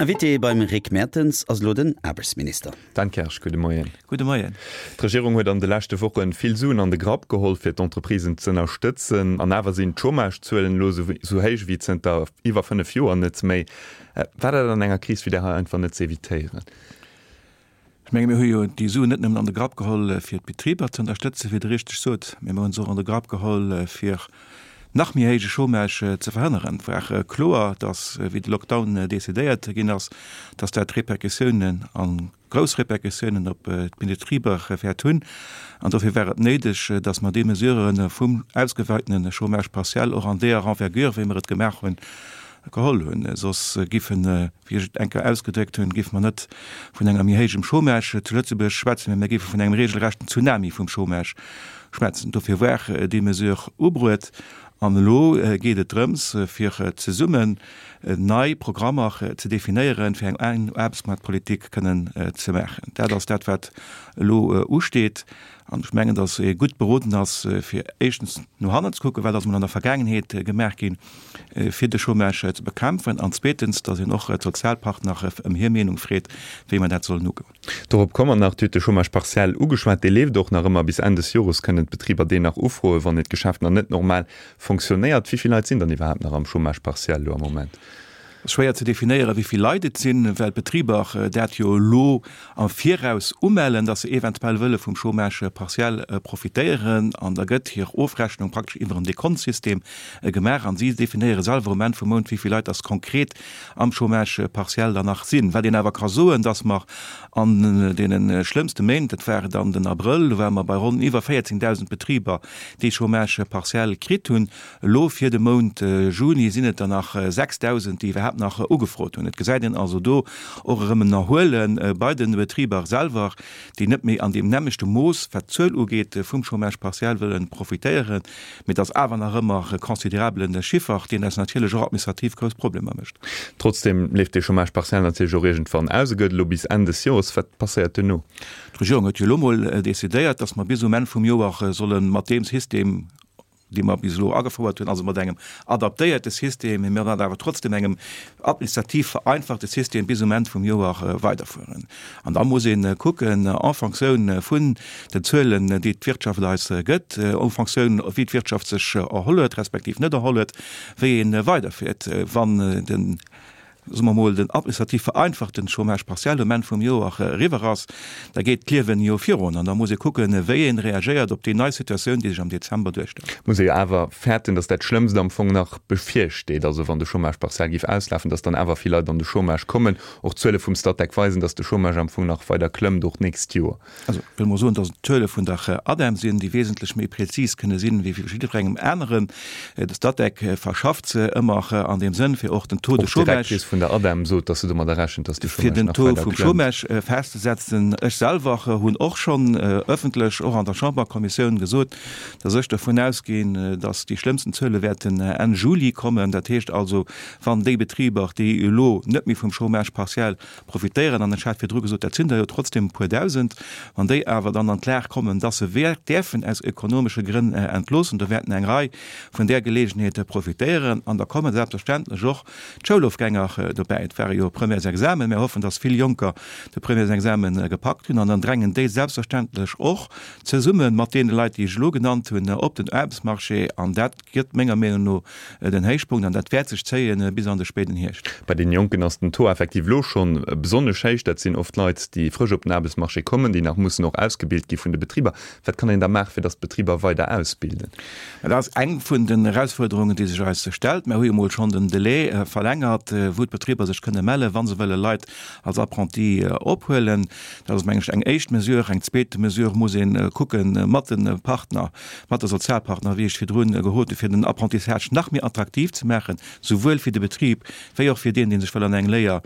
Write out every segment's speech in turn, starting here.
Invité beim Rick Mertens ass elo den Aarbechtsminister. Dan Kersch, gudde Moien. Gudde Moien. D'Regierung huet an de leschte Woche vill Suen an de Grapp geholl, fir d'Entreprisen z'ënnerstëtzen. An awer sinn d'Chômagezuelen elo esou héich ewéi zënter iwwer 5 Joer net méi. War dat an enger Kris wéi där hei einfach net z'evitéieren? Ech menge mir hu jo déi Suen net nëmmen an de Grapp geholl, fir d'Betriber ze ënnerstëtzen, wéi Der richteg sot, mee mir hu se och an de Grapp geholl, fir nach méi héije Chômage ze verhënneren. Et war kloer, datt, wéi de Lockdown decidéiert ginn ass, datt dat Répercussiounen a grouss Répercussiounen op d'Betriber wäert hunn. An dofir war et néideg, datt mer déi Mesurë vum ausgeweitene Chômage partiel och an deeër Envergure, wéi mer et gemaach hunn, geholl hunn. Soss giffen, wéi ech et eng Kéier ausgedréckt hunn, giffe mer net vun enger méi héijem Chômage zu Lëtzebuerg schwätzen, mä mir géife vun engem regelrechten Tsunami vum Chômage schwätzen. Dofir war déi Mesure ubruet. An elo geet et drëms, fir zesummen nei Programmer ze definéieren, fir eng Aarbechtsmaartpolitik kënnen ze maachen. Dat ass dat, wat elo usteet. An ech mengen, datt ee gutt beroden ass, fir éischtens no hannen ze kucken, wat ass emol an der Vergaangenheet gemaach ginn, fir de Chômage ze bekämpfen, an zweetens, datt een och d'Sozialpartner ëm hir Meenung freet, wéi mer dat sollen ugoen. Dorop komme mer nach. Dir hutt de Chômage partiel ugeschwat. Dee leeft och nach ëmmer. Bis Enn des Jores kënnen d'Betriber deen nach ufroen, wann hiert Geschäft nach net normal fonctionnéiert. Wéi vill Leit sinn dann iwwerhaapt nach am Chômage partiel elo am Moment? Et ass schwéier ze definéieren, wéi vill Leit et sinn, well d'Betriber dat jo elo am Viraus umellen, dass se eventuell wëlle vum Chômage partiel profitéieren. An da gëtt hir Ofrechnung praktesch iwwer en Dekontsystem gemaach an si definéiere selwer um Enn vum Mount, wéi vill Leit dass konkret am Chômage partiel dann nach sinn. Wat een awer ka soen, dass mer an deene schlëmmste Méint, dat war dann den Abrëll, do ware mer bei ronn iwwer 14.000 Betriber, déi Chômage partiel kritt hunn. Elo fir de Mount Juni sinn et der nach 6.000, déi iwwerhaapt nach ugefrot hunn. Et gesäit een also do och erëm en Erhuele bei de Betriber selwer, déi net méi an deem nämmlechte Mooss, wat d'Zuel ugeet, vum Chômage partiel wëlle profitéieren. Mee et ass awer nach ëmmer e considerabele Chiffer, deen eis natierlech och administrativ grouss Problemer mécht. Trotzdeem leeft dee Chômage partiel natierlech och iergendwann aus. E gëtt elo bis Enn des Joers. Wat passéiert duerno? D'Regierung huet jo elo mol decidéiert, dass mer bis um Enn vum Joer solle mat deem System, dee mer bis elo agefouert hunn, also mat engem adaptéierte System, mee mat awer trotzdem engem administrativ vereinfachte System bis um Enn vum Joer weiderfueren. An da muss ee kucken, en Fonctioun vun den Zuelen, déi d'Wirtschaft eis gëtt, en Fonctioun wéi d'Wirtschaft sech erholl huet, respektiv net erholl huet, wéi ee weiderfiert. Wann den soe mer mol, den administrativ vereinfachten Chômage partiel um Enn vum Joer eriwwer ass, da geet d'Liewen jo virun an da muss ee kucken, wéi ee reagéiert op déi nei Situatioun, déi sech am Dezember duerstellt. Muss ee jo awer fäerten, datt dat Schlëmmst am Fong nach bevirsteet, also wann de Chômage partiel géif auslafen, datt dann awer vill Leit an de Chômage kommen. Och d'Zuele vum Statec weisen, datt de Chômage am Fong nach weider klëmmt, och d'nächst Joer. Also, ech wëll mol soen, dass et d'Zuele vun der ADEM sinn, déi wesentlech méi prezis kënne sinn, wéi vu jiddwerengem aneren. De Statec verschafft se ëmmer an deem Sënn, fir och den Taux de chômage. Och d'Directrice vun der ADEM sot, dass se domadder rechent, dass de Chômage nach weider klëmmt. Fir den Taux vum Chômage festzesetzen. Ech selwer hunn och schonn ëffentlech, och an der Chamberkommissioun, gesot, dass ech dervun ausginn, dass déi schlëmmsten Zuele wäerten Enn Juli kommen. Dat heescht also, wann déi Betriber, déi elo net méi vum Chômage partiel profitéieren, an ech hat virdru gesot, dat sinn der jo trotzdem e puer Dausend, wann déi awer dann an d'Lag kommen, dass se däerfen aus ökonomesche Grënn entloossen, do wäerten eng Rei vun där Gelegenheet profitéieren. An da komme selbstverständlech och d'Schoulofgänger dobäi. Et ware jo Premièresexamen, mir hoffen, dass vill Jonker de Premièresexamen gepackt hunn, an dann drängen déi selbstverständlech och zesumme mat deene Leit, déi ech elo genannt hunn, op den Aarbechtsmarché, an dat gëtt menger Meenung no den Héichpunkt an dat wäert sech zéien bis an de spéiden Hierscht. Bei den Jonken ass den Taux effektiv elo schonn besonnesch héich. Dat sinn oft Leit, déi frësch op den Aarbechtsmarché kommen, déi nach mussen och ausgebilt gi vun de Betriber. Wat kann een da maachen, fir datt d'Betriber weider ausbilden? Dat ass eng vun den Erausfuerderungen, déi sech eis stellt. Mir hu jo mol schonn den Delai verlängert, wou d'Betriber sech kënne mellen, wa se wëlle Leit als Apprenti ophuelen. Dat ass, meng ech, eng éischt Mesure. Eng zweet Mesure muss ee kucke mat de Partner, mat de Sozialpartner, wéi ech virdrun gehot hunn, fir den Apprentissage nach méi attraktiv ze maachen, souwuel fir de Betrib wéi och fir deen, dee sech wëll an eng Léier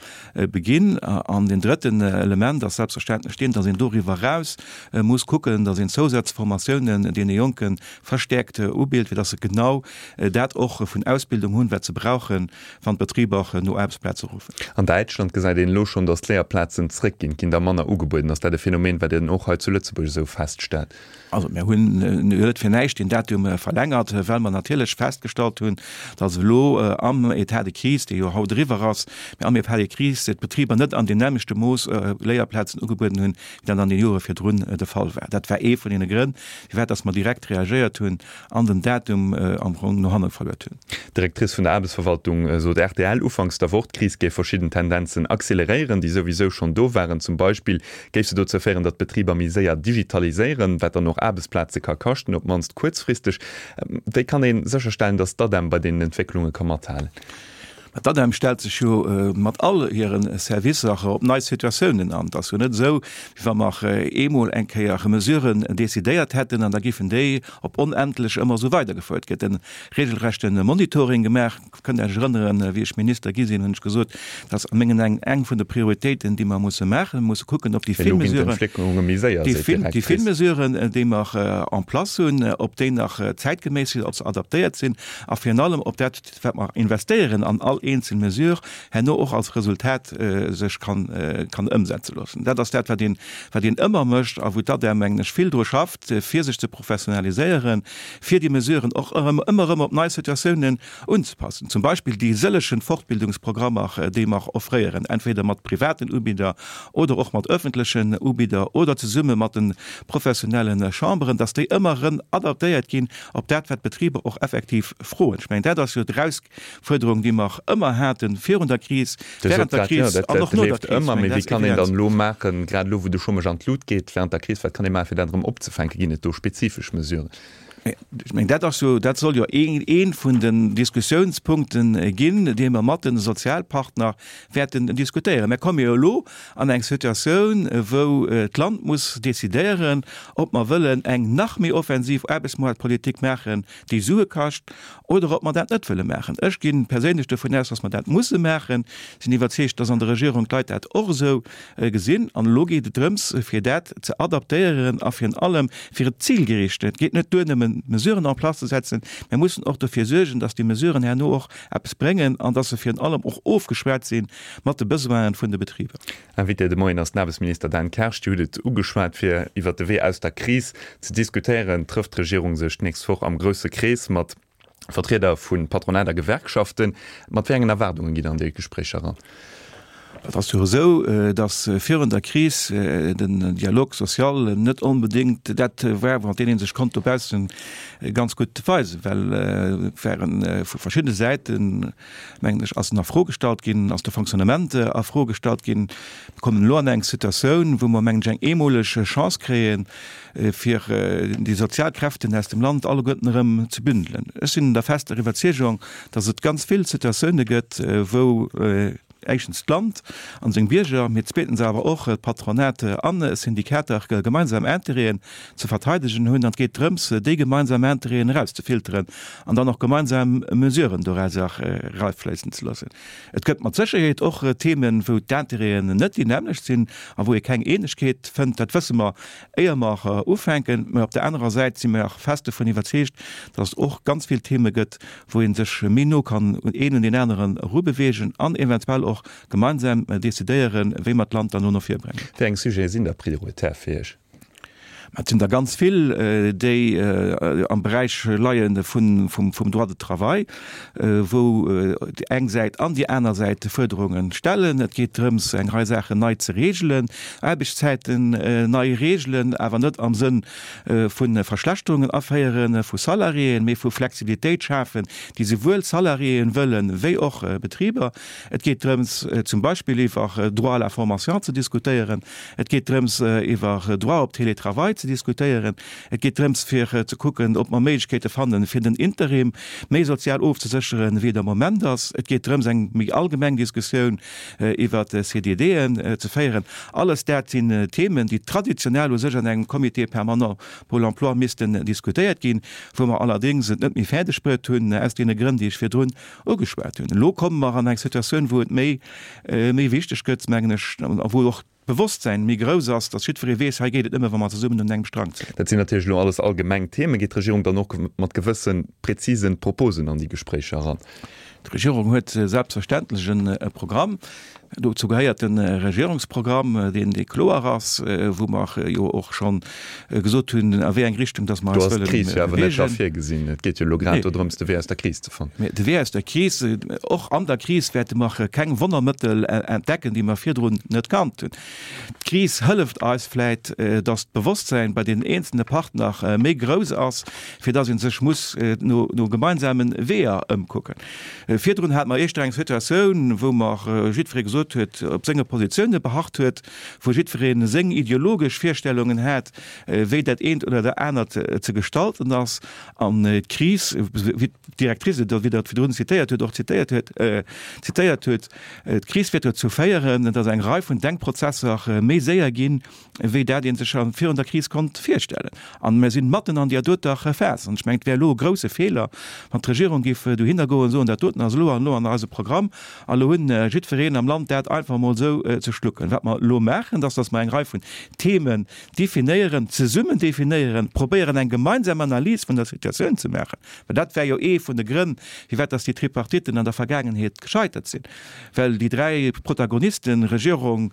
beginn. An deen drëtten Element ass selbstverständlech deen, dass een doriwwer eraus muss kucken, dass een Zousazformatiounen deene Jonke verstäerkt ubilt, fir dass se genau dat och vun Ausbildung hunn, wat se brauchen, wann d'Betriber no. Aarbechtsplaze ruffen. An Däitschland gesäit een elo schonn, datt d'Léierplazen zréckginn. Et ginn der manner ugebueden. Ass dat e Phänomen, wat een och hei zu Lëtzebuerg esou feststellt? Also mir hunn net fir näischt deen Datum verlängert, well mer natierlech festgestallt hunn, datt elo am État de crise, dee jo haut eriwwer ass, mä am État de crise d'Betriber net an deem nämmlechte Mooss Léierplazen ugebueden hunn, wéi dat an den Jore virdrun de Fall war. Dat war ee vun deene Grënn, firwat datt mer direkt reagéiert hunn an den Datum am Fong no hanne verluet hunn. D'Directrice vun der Aarbechtsverwaltung sot rtl ufanks der Woch, d'Kris géif verschidden Tendenzen acceleréieren, déi souwisou schonn do waren. Zum Beispill géif se dozou féieren, datt d'Betriber méi séier digitaliséieren, wat dann och Aarbechtsplaze ka kaschten, op d'mannst kuerzfristeg. Wéi kann ee sécherstellen, datt d'ADEM bei deenen Entwécklunge ka mathalen? Mä d'ADEM stellt sech jo mat all hire Servicer op nei Situatiounen an. Et ass jo net esou, wéi wa mer eemol eng Kéier Mesuren decidéiert hätten an da géifen déi op onendlech ëmmer esou weidergefouert. Et gëtt e regelrechte Monitoring gemaach. Kënnt Iech erënneren, wéi ech Minister gi sinn, hunn ech gesot, dat ass a mengen Aen eng vun de Prioritéiten, déi mer musse maachen. Mir musse kucken, ob déi vill Mesuren, déi vill Mesuren, déi mer en place hunn, ob déi nach zäitgeméiss sinn, ob se adaptéiert sinn a virun allem, ob dat, wat mer investéieren an all eenzel Mesure, herno och als Resultat sech kann ëmsetze loossen. Dat ass dat, wat een, wat een ëmmer mécht a wou d'ADEM, mengen ech, vill dru schafft, fir sech ze professionaliséieren, fir déi Mesuren och erëm, ëmmer erëm op nei Situatiounen unzepassen. Zum Beispill déi sëllechen Fortbildungsprogrammer, déi mer offréieren, entweder mat privaten Ubidder oder och mat öffentlechen Ubidder oder zesumme mat de professionelle Chamberen, dass déi ëmmer erëm adaptéiert ginn op dat, wat d'Betriber och effektiv froen. Ech mengen, dat ass jo d'Erausfuerderung, déi mer ëmmer hate virun der Kris, während der Kris an och no der Kris. Mee wéi kann een dann elo maachen, grad elo, wou de Chômage an d'Lut geet, während der Kris, wat kann ee maachen, fir dat erëm opzefänken? Ginn et do spezifesch Mesuren? Ech mengen, dat ass jo, dat soll jo ee vun den Diskussiounspunkte ginn, dee mer mat de Sozialpartner wäerten diskutéieren. Mir komme jo elo an eng Situatioun, wou d'Land muss decidéieren, ob mer wëllen eng nach méi offensiv Aarbechtsmoartpolitik maachen, déi Sue kascht, oder ob mer dat net wëlle maachen. Ech gi perséinlech dovun aus, dass mer dat musse maachen. Sinn iwwerzeegt, dass an der Regierung d'Leit dat och esou gesinn. An elo geet et drëms, fir dat ze adaptéieren a virun allem fir et zilgericht. Et geet net duer, nëmmen Mesuren en place ze setzen. Mir mussen och dofir suergen, dass déi Mesuren herno och eppes bréngen an dass se virun allem och ofgeschwat si mat de Besoinen vun de Betriber. Invité de Moien ass den Aarbechtsminister Dan Kersch. Dir hutt et ugeschwat, Fir iwwert de Wee aus der Kris ze diskutéieren, trëfft d'Regierung sech d'nächst Woch am grousse Krees mat Vertrieder vu Patronat a Gewerkschaften. Mat wéi engen Erwaardunge gitt Der an déi Gespréicher eran? Et ass jo esou, datt virun der Kris den Dialogue social net onbedéngt dat war, mat deem ee sech konnt dobausse ganz gutt weisen, well et ware vu verschiddene Säiten, mengen ech, ass en a Fro gestallt ginn, ass de Fonctionnement a Fro gestallt ginn. Mir kommen elo an eng Situatioun, wou mer, mengen ech, eng eemoleg Chance kréien, fir déi sozial Kräften aus dem Land alleguerten erëm ze bündelen. Ech sinn der fester Iwwerzeegung, dass et ganz vill Situatioune gëtt, wou éischtens d'Land an seng Bierger, mee zweetens awer och d'Patronat an Syndikater gemeinsam Intérêten ze verteidegen hunn. An et geet drëms, déi gemeinsam Intérêten erauszefilteren an dann och gemeinsam Mesuren dorauser eraufléissen ze loossen. Et gëtt mat Sécherheet och Themen, wou d'Intérêten net déi nämmlecht sinn a wou ee keng Eenegkeet fënnt. Dat wësse mer, éier mer ufänken. Mä op der anerer Säit si mer fest dovun iwwerzeegt, dass et och ganz vill Theme gëtt, wou ee sech méi no kann een un deen aneren erubeweegen an eventuell och gemeinsam decidéieren, wéi mer d'Land dann no vir bréngen. Wéi eng Sujete sinn da prioritär fir Iech? Mä et sinn der ganz vill, déi am Beräich leie vum Droit de travail, wou déi eng Säit an déi aner Säit Fuerderunge stellen. Et geet drëms, eng Rei Saachen nei ze regelen, Aarbechtszäiten nei regelen, awer net am Sënn vu Verschlechterungen aféiere vu Salariéen, mee vu Flexibilitéit schafen, déi souwuel Salariéen wëllen, wéi och Betriber. Et geet drëms, zum Beispill iwwer Droit à la formation ze diskutéieren. Et geet drëms, iwwer Droit op Télétravail ze diskutéieren. Et geet drëms, fir ze kucken, ob mer Méiglechkeete fannen, fir den Interim méi sozial ofzesécheren, wéi et am Moment ass. Et geet drëms, eng méi allgemeng Diskussioun iwwer CDDen ze féieren. Alles dat sinn Themen, déi traditionell u sech an engem Comité permanent pour l'emploi missten diskutéiert ginn, wou mer allerdéngs et net méi fäerdeg bruet hunn, aus deene Grënn, déi ech virdrun ugeschwat hunn. Elo komme mer an eng Situatioun, wou et méi, méi wichteg gëtt, mengen ech, a wou och d'Bewosstsäin méi grouss ass, dass jiddweree weess, hei geet et nëmme, wa mer zesummen un engem Strang zéien. Dat sinn natierlech elo alles allgemeng Themen. Geet d'Regierung dann och mat gewësse prezisen Proposen an déi Gespréicher eran? D'Regierung huet selbstverständlech e Programm. Dozou gehéiert de Regierungsprogramm, deen dee kloer ass, wou mer jo och scho gesot hunn, a wéi eng Richtung dass mer eis wëlle bewegen. Do ass d'Kris jo awer net scho virgesinn. Et geet jo elo grad dodrëms, de Wee aus der Kris ze fannen. Mä de Wee aus der Kris, och an der Kris wäerte mer keng Wonnermëttel entdecken, déi mer virdrun net kannt hunn. D'Kris hëlleft eis vläit, dass d'Bewosstsäin bei deenen eenzelne Partner méi grouss ass, fir dass ee sech muss no gemeinsame Weeër ëmkucken. Virdrun hate mer éischter eng Situatioun, wou mer jiddweree gesot huet, op senge Positioune beharrt huet, wou jiddweree seng ideologesch Virstellungen hat, wéi dat eent oder dat anert ze gestalten ass. An d'Kris, wéi d'Directrice et, wéi Der et virdrun zitéiert huet, och zitéiert huet, zitéiert huet, D'Kris wäert dozou féieren, datt eng Rei vun Denkprozesser méi séier ginn, wéi dat ee sech virun der Kris konnt virstellen. A mir sinn matten an deer doter Phas. An ech mengen, et wär elo e grouse Feeler, wann d'Regierung géif dohinner goen an soen, dat doten ass elo an elo an eise Programm a elo hunn jiddwereen am Land dat einfach emol esou ze schlucken. Wat mer elo maachen, dat ass, datt mer eng Rei vun Themen definéieren, zesummen definéieren, probéieren eng gemeinsam Analys vun der Situatioun ze maachen, well dat war jo ee vun de Grënn, firwat dass déi Tripartiten an der Vergaangenheet gescheitert sinn, well déi 3 Protagonisten, Regierung,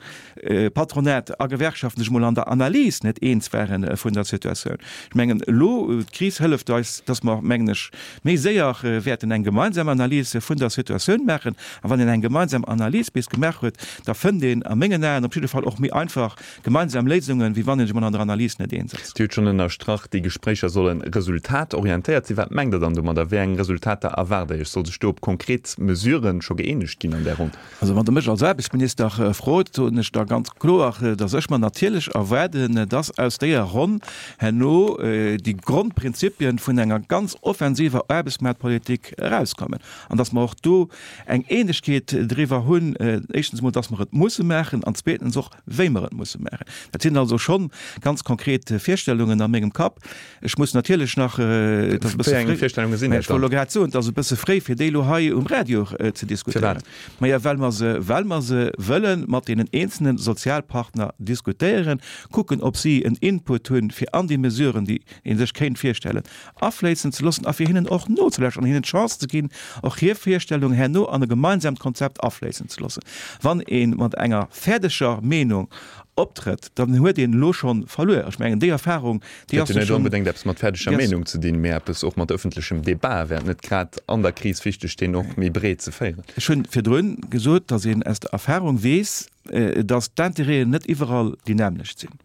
Patronat a Gewerkschaften, sech emol an der Analys net eens ware vun der Situatioun. Ech mengen elo, d'Kris hëlleft eis, dass mer, mengen ech, méi séier wäerten eng gemeinsam Analys vun der Situatioun maachen. A wann een eng gemeinsam Analys bis gemaach huet, da fënnt een a mengen Aen op jidde Fall och méi einfach Gemeinsam Léisungen, wéi wann een sech emol an der Analys net eens ass. Dir hutt schonn ënnerstrach, déi Gespréicher solle resultatorientéiert sinn. Wat mengt Der dann domadder? Wéi eng Resultater erwaart Der Iech? Soll sech do op konkret Mesuren scho gëeenegt ginn an där Ronn? Also wann Der mech als Aarbechtsminister frot, soen ech da ganz kloer, datt ech mer natierlech erwaarden, datt aus deeër Ronn herno déi Grondprinzipien vun enger ganz offensiver Aarbechtsmaartpolitik erauskommen an datt mer och do eng Eenegkeet driwwer hunn, éischtens emol, datt mer et musse maachen an zweetens och, wéi mer et musse maachen. Dat sinn also scho ganz konkret Virstellungen a mengem Kapp. Ech muss natierlech nach, et ass e bësse Wéi eng Virstellunge sinn dat ech wollt elo grad soen, et ass e bësse fréi, fir déi elo hei um Radio ze diskutéieren. Firwat? Maja, well mer se, well mer se wëlle mat deenen eenzelne Sozialpartner diskutéieren, kucken, ob si en Input hunn, fir an déi Mesuren, déi ee sech kéint virstellen, afléissen ze loossen a fir hinnen och nozelauschteren an hinnen d'Chance ze ginn, och hir Virstellung herno an e gemeinsamt Konzept afléissen ze loossen. Wann ee mat enger fäerdeger Meenung optrëtt, dann huet een elo scho verluer. Ech mengen, déi Erfahrung, déi ass jo schonn. Huet jo net onbedéngt eppes mat fäerdeger Meenung ze dinn, mee eppes och mat ëffentlechem Debat. Wär et net grad an der Kris wichteg, deen och méi breet ze féieren? Ech hunn virdrun gesot, datt een aus der Erfahrung weess, datt d'Intérêten net iwwerall déi nämmlecht sinn.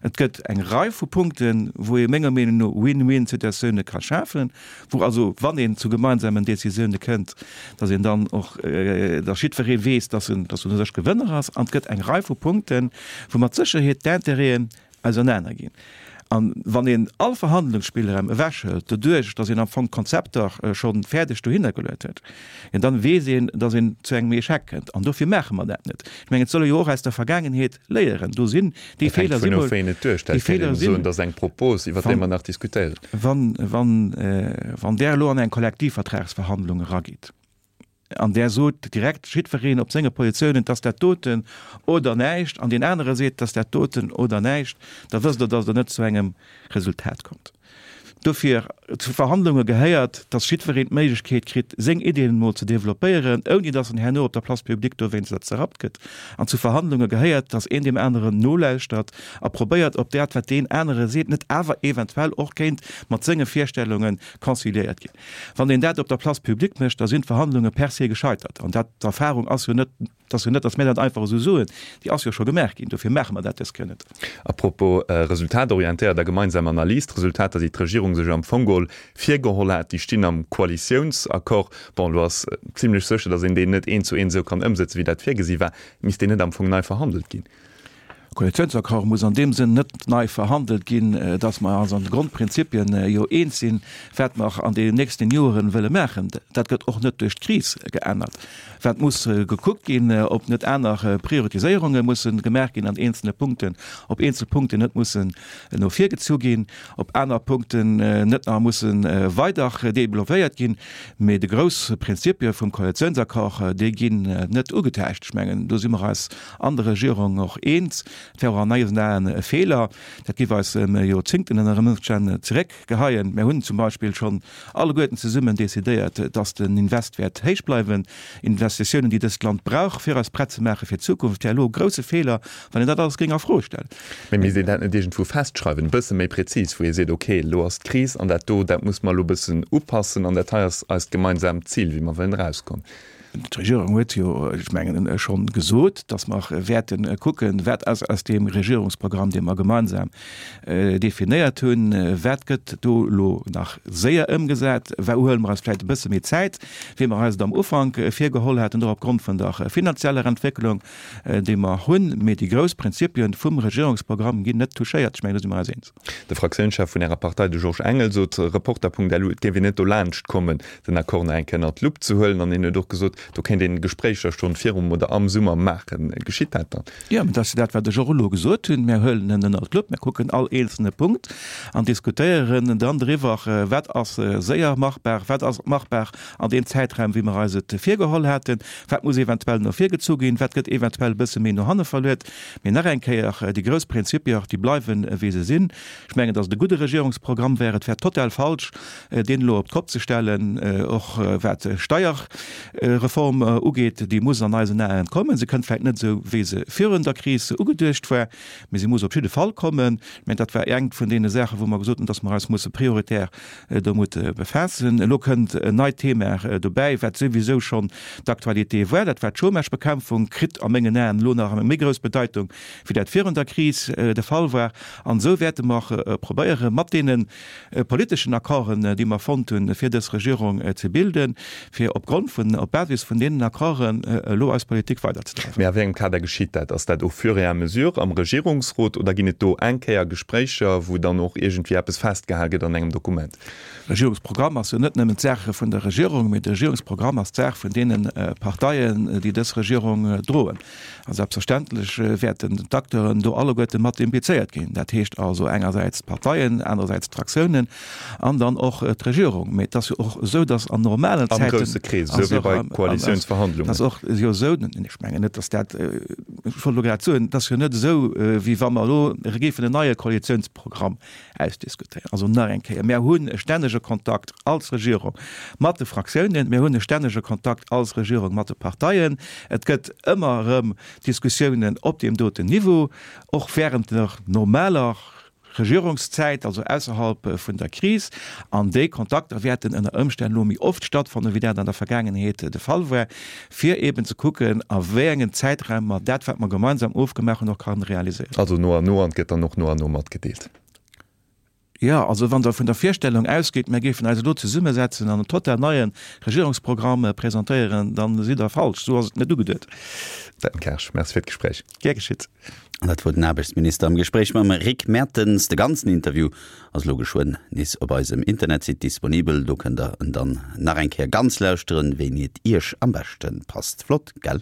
Et gëtt eng Rei vu Punkten, wou ee menger Meenung no Win-win-Situatioune ka schafen, wou also, wann een zu gemeinsamen Décisioune kënnt, datt een dann och, datt jiddweree weess, datt en, datt en u sech Gewënner ass. An et gëtt eng Rei vu Punkten, wou mat Sécherheet d'Intérêten ausernaner ginn. A wann een all Verhandlungsspillraum ewechhëlt, doduerch datt een am Fong d'Konzepter scho fäerdeg dohinner geluet huet, jo dann weess een, datt een zu engem Echec kënnt. An dofir maache mer dat net. Ech mengen, et soll ee jo och aus der Vergaangenheet léieren. Do sinn déi Feeler sinn mol, déi Feeler sinn, dat ass eng Propos, iwwer déi mer nach diskutéieren. Wann, wann, wann Der elo an eng Kollektivvertragsverhandlung eragitt an Der sot direkt jiddwereen op senge Positiounen, 't ass dat doten oder näischt, an deen anere seet, 't ass dat doten oder näischt, da wësst Der, datt Der net zu engem Resultat kommt. Dofir, zu Verhandlunge gehéiert, dass jiddwereen d'Méiglechkeet kritt, seng Iddien emol ze developpéieren, ouni dass en herno op der Place publique dowéinster zerrappt gëtt. An zu Verhandlunge gehéiert, dass een deem aneren nolauschtert a probéiert, ob dat, wat deen anere seet, net awer eventuell och kéint mat senge Virstellunge conciliéiert ginn. Wann een dat op der Place publique mécht, da sinn d'Verhandlunge per se gescheitert. An dat, d'Erfahrung ass jo net, Et ass jo net, datt mir dat einfach esou soen, déi ass jo scho gemaach ginn, dofir maache mer dat dës Kéier net. A propos resultatorientéiert a gemeinsam Analys, D'Resultater, déi d'Regierung sech am Fong geholl virgeholl hat, déi stinn am Koalitiounsaccord. Bon, elo ass zimlech sécher, datt een deen net eent zu eent esou kann ëmsëtzen, wéi dat virgesi war. Misst deen net am Fong nei verhandelt ginn? Koalitiounsaccord muss an deem Sënn net nei verhandelt ginn, dass mer eis an de Grondprinzipien jo eens sinn, wat mer an deenen nächsten Joeren wëlle maachen. Dat gëtt och net duerch d'Kris geännert. Wat muss gekuckt ginn, ob net aner Prioritiséierunge mussen gemaach ginn an eenzelne Punkten, ob eenzel Punkten net mussen no vir gezu ginn, ob aner Punkten net nach mussen weider developpéiert ginn. Mee de grouss Prinzipie vum Koalitiounsaccord, déi ginn net ugetäuscht. Ech mengen, do si mer eis an der Regierung och eens. Et wär och an eisen Aen e Feeler. Dat géif eis ëm Joerzéngten ënner Ëmstänn zeréckgeheien. Mär hunn zum Beispill schonn alleguerten zesummen decidéiert, dass den Invest wäert héich bleiwen. Investitiounen, déi dëst Land brauch, fir eis prett ze maache fir d'Zukunft. Et wär elo e grousse Feeler, wann een dat alles géing a Fro stellen. Mee misst een dat net iergendwou festschreiwen, e bësse méi prezis, wou ee seet, okay, elo ass d'Kris an dat do, dat muss mer elo e bëssen upassen an dat hei ass eist gemeinsaamt Zil, wéi mer wëllen erauskommen. D'Regierung huet jo, ech mengen, schonn gesot, datt mer wäerte kucken, wat ass aus deem Regierungsprogramm, dee mer gemeinsam definéiert hunn, wat gëtt do elo nach séier ëmgesat, wou huele mer eis vläicht e bësse méi Zäit, wéi mer eis et am Ufank virgeholl haten, och opgrond vun der finanzieller Entwécklung, déi mer hunn. Mee déi grouss Prinzipien vum Regierungsprogramm ginn net touchéiert. Ech mengen, do si mer eis eens. De Fraktiounschef vun Ärer Partei, de Georges Engel, sot Reporter.lu, et géif een net dolaanscht kommen, den Accord nach eng Kéier ënnert d'Lupp ze huelen. An hien huet och gesot, do kéint een Gespréicher schonn virum oder am Summer maachen. Geschitt dat dann? Jo, mä dat ass jo dat, wat ech och elo gesot hunn. Mir huelen en ënnert d'Lupp, mir kucken all eenzelne Punkt an diskutéieren dann driwwer, wat ass séier machbar, wat ass machbar an deem Zäitraum, wéi mer eis et virgeholl haten, wat muss eventuell no vir gezu ginn, wat gëtt eventuell e bësse méi no hanne verluet. Mee nach eng Kéier, déi grouss Prinzipier, déi bleiwen, wéi se sinn. Ech mengen, datt et e gudde Regierungsprogramm wär. Et wär total falsch, deen elo op d'Kopp ze stellen, och wat d'Steierreform ugeet. Déi muss an eisen Aen kommen. Se kënnt vläicht net esou, wéi se virun der Kris ugeduecht war, mee se muss op jidde Fall kommen. Ech mengen, dat war eng vun deene Saachen, wou mer gesot hunn, datt mer eis musse prioritär domat befaassen. Elo kënnt en neit Thema dobäi, wat souwisou schonn d'Aktualité war, dat war d'Chômagebekämpfung, kritt a mengen Aen elo nach eng méi grouss Bedeitung, wéi dat virun der Kris de Fall war. An esou wäerte mer probéieren, mat deene politeschen Accorden, déi mer fonnt hunn, fir dës Regierung ze bilden, fir opgrond vun, op Basis vun deenen Accorden elo eis Politik weiderzedreiwen. Mee a wéi engem Kader geschitt dat? Ass dat au fur et à mesure am Regierungsrot oder ginn et do eng Kéier Gespréicher, wou dann och iergendwéi eppes festgehal gëtt an engem Dokument? Regierungsprogramm ass jo net nëmmen d'Saach vun der Regierung, mee de Regierungsprogramm ass d'Saach vun deene Parteien, déi dës Regierung droen. A selbstverständlech wäerten d'Acteuren do alleguerte mat implizéiert ginn. Dat heescht also engersäits d'Parteien, anerersäits d'Fraktiounen an dann och d'Regierung. Mee et ass jo och esou, datt an normalen Zäiten. Am grousse Krees, esou wéi bei Koalitiounsverhandlungen. Et ass och jo esou, ech mengen net, datt dat, ech wollt elo grad soen, et ass jo net esou, wéi wa mer elo géifen en neie Koalitiounsprogramm ausdiskutéieren. Also nach eng Kéier, Mär hunn e stännege Kontakt als Regierung mat de Fraktiounen, mir hunn e stännege Kontakt als Regierung mat de Parteien. Et gëtt ëmmer erëm Diskussiounen op deem doten Niveau, och während der normaler Regierungszäit, also ausserhalb vun der Kris. An déi Kontakter wäerten ënner Ëmstänn elo méi oft stattfannen, wéi dat an der Vergaangenheet de Fall war, fir eeben ze kucken, a wéi engen Zäitraum mer dat, wat mer gemeinsam ofgemaach hunn, och kann realiséieren. Also no an no, an et gëtt dann och no an no matgedeelt. Jo, also wann Der vun der Virstellung ausgeet, mir géifen eis elo zesummesetzen an en total neie Regierungsprogramm presentéieren, da sidd Der falsch. Esou ass et net ugeduet. Dan Kersch, Merci fir d'Gespréich. Gär geschitt. An dat wor den Aarbechtsminister am Gespréich mam Rick Mertens. De ganzen Interview ass elo geschwënn nees op eisem Internetsite disponibel. Do kënnt der en dann nach eng Kéier ganz lauschteren, wéini et iech am beschte passt. Flott, gell?